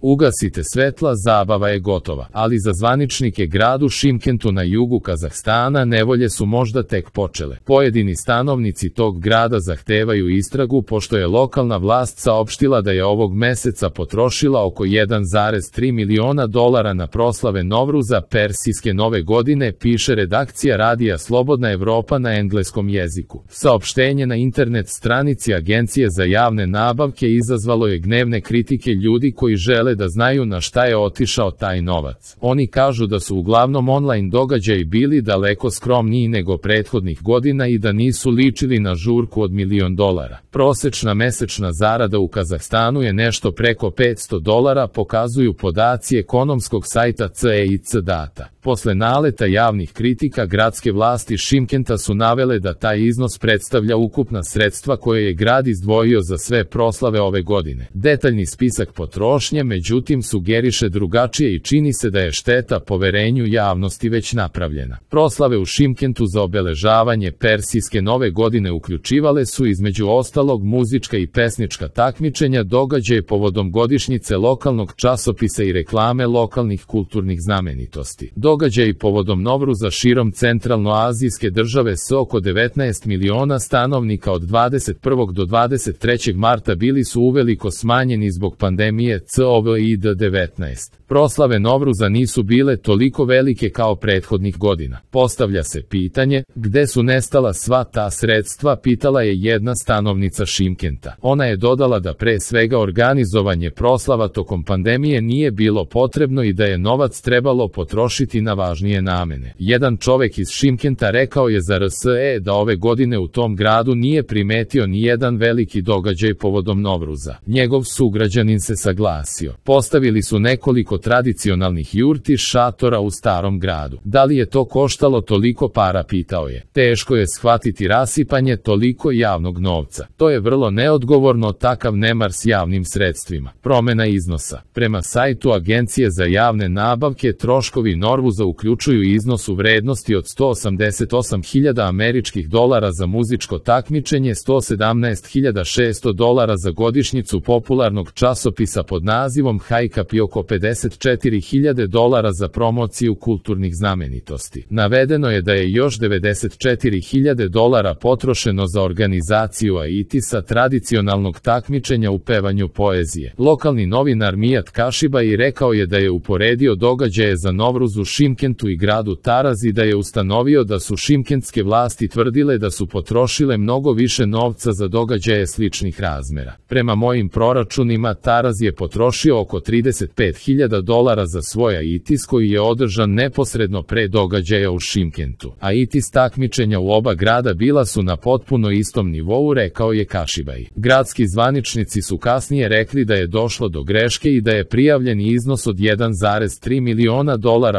Ugasite svetla, zabava je gotova, ali za zvaničnike gradu Šimkentu na jugu Kazahstana nevolje su možda tek počele. Pojedini stanovnici tog grada zahtevaju istragu pošto je lokalna vlast saopštila da je ovog meseca potrošila oko 1,3 miliona dolara na proslave Novruza, persijske nove godine, piše redakcija radija Slobodna Evropa na engleskom jeziku. Saopštenje na internet stranici Agencije za javne nabavke izazvalo je gnevne kritike ljudi koji žele da znaju na šta je otišao taj novac. Oni kažu da su uglavnom online događaji bili daleko skromniji nego prethodnih godina i da nisu ličili na žurku od $1.000.000. Prosečna mesečna zarada u Kazahstanu je nešto preko $500, pokazuju podaci ekonomskog sajta CEIC Data. Posle naleta javnih kritika, gradske vlasti Šimkenta su navele da taj iznos predstavlja ukupna sredstva koje je grad izdvojio za sve proslave ove godine. Detaljni spisak potrošnje, međutim, sugeriše drugačije i čini se da je šteta poverenju javnosti već napravljena. Proslave u Šimkentu za obeležavanje persijske nove godine uključivale su između ostalog muzička i pesnička takmičenja, događaje povodom godišnjice lokalnog časopisa i reklame lokalnih kulturnih znamenitosti. Događaji povodom Novruza širom centralnoazijske države s oko 19 miliona stanovnika od 21. do 23. marta bili su uveliko smanjeni zbog pandemije COVID-19. Proslave Novruza nisu bile toliko velike kao prethodnih godina. Postavlja se pitanje, gde su nestala sva ta sredstva, pitala je jedna stanovnica Šimkenta. Ona je dodala da pre svega organizovanje proslava tokom pandemije nije bilo potrebno i da je novac trebalo potrošiti na važnije namene. Jedan čovek iz Šimkenta rekao je za RSE da ove godine u tom gradu nije primetio ni jedan veliki događaj povodom Novruza. Njegov sugrađanin se saglasio. Postavili su nekoliko tradicionalnih jurti šatora u starom gradu. Da li je to koštalo toliko para, pitao je. Teško je shvatiti rasipanje toliko javnog novca. To je vrlo neodgovorno, takav nemar s javnim sredstvima. Promena iznosa. Prema sajtu Agencije za javne nabavke, troškovi Novruza uključuju iznos u vrednosti od $188.000 američkih dolara za muzičko takmičenje, $117.600 za godišnjicu popularnog časopisa pod nazivom Hajkap i oko $54.000 za promociju kulturnih znamenitosti. Navedeno je da je još $94.000 potrošeno za organizaciju AITIS-a, tradicionalnog takmičenja u pevanju poezije. Lokalni novinar Mijat Kašibai rekao je da je uporedio događaje za Novruz u Šimkentu i gradu Taraz i da je ustanovio da su šimkentske vlasti tvrdile da su potrošile mnogo više novca za događaje sličnih razmera. Prema mojim proračunima, Taraz je potrošio oko $35.000 za svoj AITIS koji je održan neposredno pre događaja u Šimkentu. AITIS takmičenja u oba grada bila su na potpuno istom nivou, rekao je Kašibai. Gradski zvaničnici su kasnije rekli da je došlo do greške i da je prijavljeni iznos od $1,3 miliona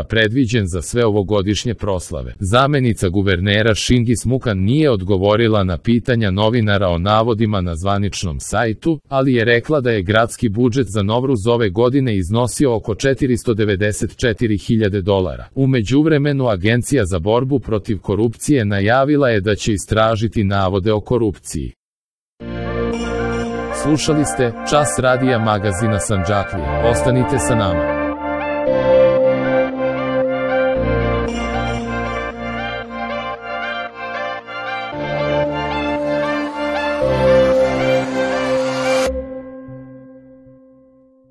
predviđen za sve ovogodišnje proslave. Zamenica guvernera Šingis Mukan nije odgovorila na pitanja novinara o navodima na zvaničnom sajtu, ali je rekla da je gradski budžet za Novruz ove godine iznosio oko $494.000. U međuvremenu Agencija za borbu protiv korupcije najavila je da će istražiti navode o korupciji. Slušali ste Čas radija magazina Sandžaklija. Ostanite sa nama.